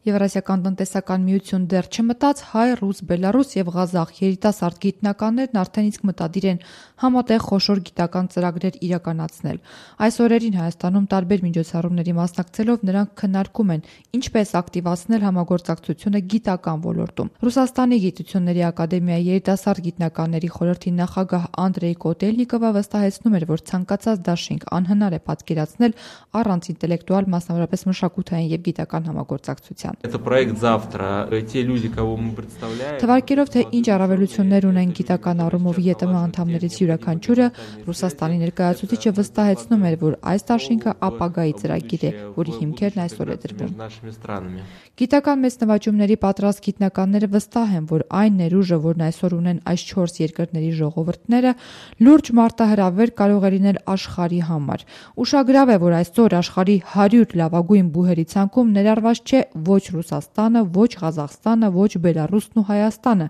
Եվրասիական տնտեսական միություն դեռ չմտած, հայ, ռուս, բելարուս եւ ղազախ երիտասարդ գիտնականներն արդեն իսկ մտադիր են համատեղ խոշոր գիտական ծրագրեր իրականացնել։ Այս օրերին Հայաստանում տարբեր միջոցառումների մասնակցելով նրանք քննարկում են ինչպես ակտիվացնել համագործակցությունը գիտական ոլորտում։ Ռուսաստանի Գիտությունների ակադեմիայի երիտասարդ գիտնականների խորհրդի նախագահ Անդրեյ Կոտելնիկովը վստահեցնում էր, որ ցանկացած դաշինք անհնար է պատկերացնել առանց ինտելեկտուալ, մասնավորապես մշակութային եւ գիտական համագործակցության։ Թվարկելով, թե ինչ առավելություններ ունեն գիտական առումով ԵՏՄ անդամներից յուրաքանչյուրը, Ռուսաստանի ներկայացուցիչը վստահեցնում էր, որ այս դաշինքը ապագայի ծրագիր է, որի հիմքերն այսօր է դրվում։ Գիտական մեծ նվաճումների պատրաստ գիտնականները վստահ են, որ այն ներուժը, որն այսօր ունեն այս 4 երկրների ժողովուրդները, լուրջ մարտահրավեր կարող է լինել աշխարհի համար։ Ուշագրավ է, որ այսօր աշխարհի 100 լավագույն բուհերի ցանկում ներառված չէ ոչ Ռուսաստանը, ոչ Ղազախստանը, ոչ Բելարուսն ու Հայաստանը։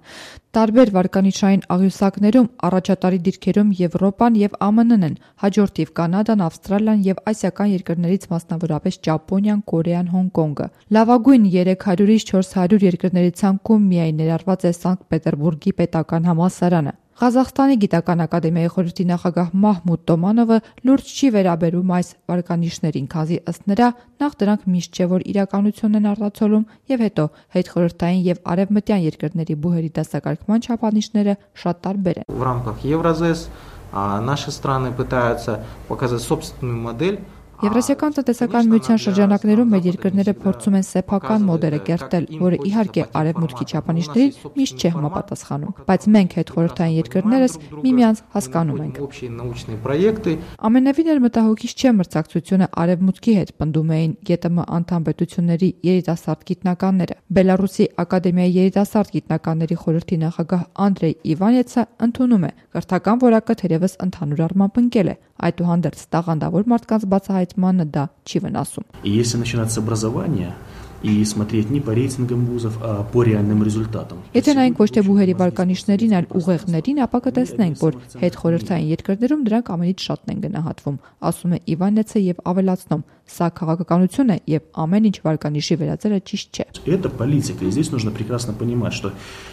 Տարբեր վարկանիշային աղյուսակներում առաջատարի դիրքերում Եվրոպան եւ ԱՄՆ-ն են, հաջորդիվ Կանադան, Ավստրալիան եւ ասիական երկրներից մասնավորապես Ճապոնիան, Կորեան, Հոնկոնգը։ Լավագույն 300-ից 400 երկրների ցանկում միայն ներառված է Սանկտ Պետերբուրգի պետական համալսարանը։ Ղազախստանի գիտական ակադեմիայի խորհրդի նախագահ Մահմուդ Տոմանովը լուրջ չի վերաբերում այս վարկանիշներին, քանզի ըստ նրա նախ դրանք միշտ չէ, որ իրականությունն են արտացոլում, եւ հետո հետխորհրդային եւ արևմտյան երկրների բուհերի դասակարգման չափանիշները շատ տարբեր են։ В рамках Евразес наши страны пытаются показать собственную модель. Եվրասիական տնտեսական միության շրջանակներում մեր երկրները փորձում են սեփական մոդելը կերտել, որը իհարկե արևմուտքի չափանիշներին միշտ չէ համապատասխանում, բայց մենք հետխորհրդային երկրներս միմյանց հասկանում ենք։ Ամենևին էլ մտահոգիչ չէ մրցակցությունը արևմուտքի հետ, պնդում էին ԵՏՄ անդամ պետությունների երիտասարդ գիտնականները։ Բելարուսի ակադեմիայի երիտասարդ գիտնականների խորհրդի նախագահ Անդրեյ Իվանեցը ընդունում է, կրթական որակը թերևս ընդհանուր առմամբ ընկել է, այդուհանդերձ տաղանդավոր մարդկանց բացահայտմանը դա չի վնասում։ Если начинать с образования и смотреть не по рейтингам вузов, а по реальным результатам. Եթե նայենք ոչ թե բուհերի վարկանիշներին, այլ ուղեղներին, ապա կտեսնենք, որ հետխորհրդային երկրներում դրանք ամենից շատն են գնահատվում, ասում է Իվանեցը եւ ավելացնում. Սա քաղաքականություն է եւ ամեն ինչ վարկանիշի վերածելը ճիշտ չէ։ Это политика, и здесь нужно прекрасно понимать, что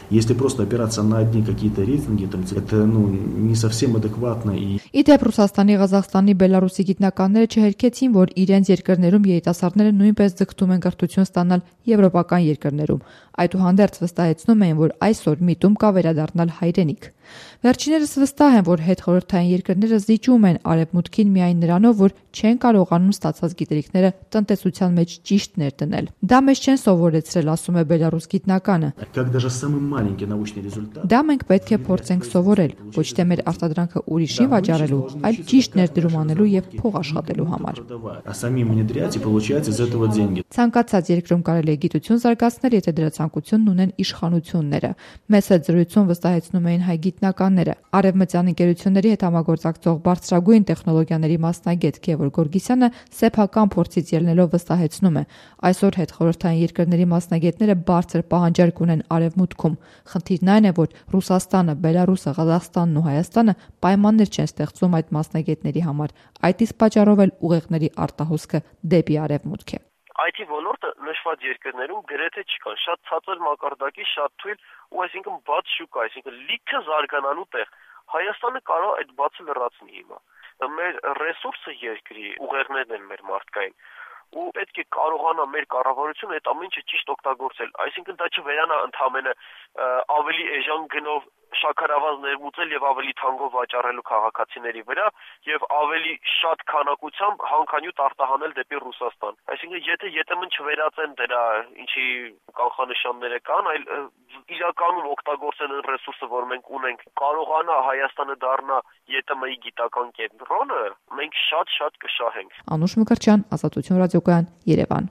если просто опираться на одни какие-то рейтинги, там это не совсем адекватно и Իդեպ Ռուսաստանի, Ղազախստանի, Բելարուսի գիտնականները չհերքեցին, որ իրենց երկրներում երիտասարդները նույնպես ձգտում են կրթություն ստանալ եվրոպական երկրներում։ Այդուհանդերձ վստահեցնում էին, որ այսօր միտում կա վերադառնալ հայրենիք։ Վերջիներս վստահ են, որ հետխորհրդային երկրները զիջում են արևմուտքին միայն նրանով, որ չեն կարողանում ստացած գիտելիքները տնտեսության մեջ ճիշտ ներդնել։ Դա մեզ չեն սովորեցրել, ասում է բելարուս գիտնականը։ как даже самый маленький научный результат. Դա մենք պետք է փորձենք սովորել, ոչ թե մեր արտադրանքը ուրիշին վաճառելու, այլ ճիշտ ներդրում անելու եւ փող աշխատելու համար։ А самим внедрять и получать из этого деньги. Ցանկացած երկրում կարելի է գիտություն զարգացնել, եթե դրա ցանկությունն ունեն իշխանությունները։ Մեծ հետ զրույցում վստահեցնում էին հայ գիտնականները։ Արևմտյան ընկերությունների հետ համագործակցող բարձրագույն տեխնոլոգիաների մասնագետ Գևորգ Գորգիսյանը սեփական փորձից ելնելով վստահեցնում է. այսօր հետխորհրդային երկրների մասնագետները բարձր պահանջարկ ունեն արևմուտքում։ Խնդիրն այն է, որ Ռուսաստանը, Բելարուսը, Ղազախստանն ու Հայաստանը պայմաններ չեն ստեղծում այդ մասնագետների համար։ Այդ իսկ պատճառով էլ ուղեղների արտահոսքը դեպի արևմուտք է։ IT ոլորտը նշված երկրներում գրեթե չկան, շատ ցածր մակարդակի, շատ թույլ ու այսինքն բաց շուկա, այսինքն լիքը զարգանալու տեղ։ Հայաստանը կարող է այդ բացը լրացնի հիմա։ Մեր ռեսուրսը երկրի ուղեղներն են մեր մարդկային ու պետք է կարողանա մեր կառավարությունը այդ ամեն ինչը ճիշտ օգտագործել, այսինքն դա չվերանա ընդհանրապես ավելի էժան գնով շաքարավազ ներմուծել եւ ավելի թանկով վաճառելու քաղաքացիների վրա եւ ավելի շատ քանակությամբ հանքանյութ արտահանել դեպի Ռուսաստան։ Այսինքն եթե ԵՏՄ-ն չվերածեն դրա ինչի կանխանշանները կան, այլ իրականում օգտագործեն այն ռեսուրսը, որ մենք ունենք, կարողանա Հայաստանը դառնա ԵՏՄ-ի գիտական կենտրոնը, մենք շատ կշահենք։ Անուշ Մկրտչյան, Ազատություն ռադիոկայան, Երևան։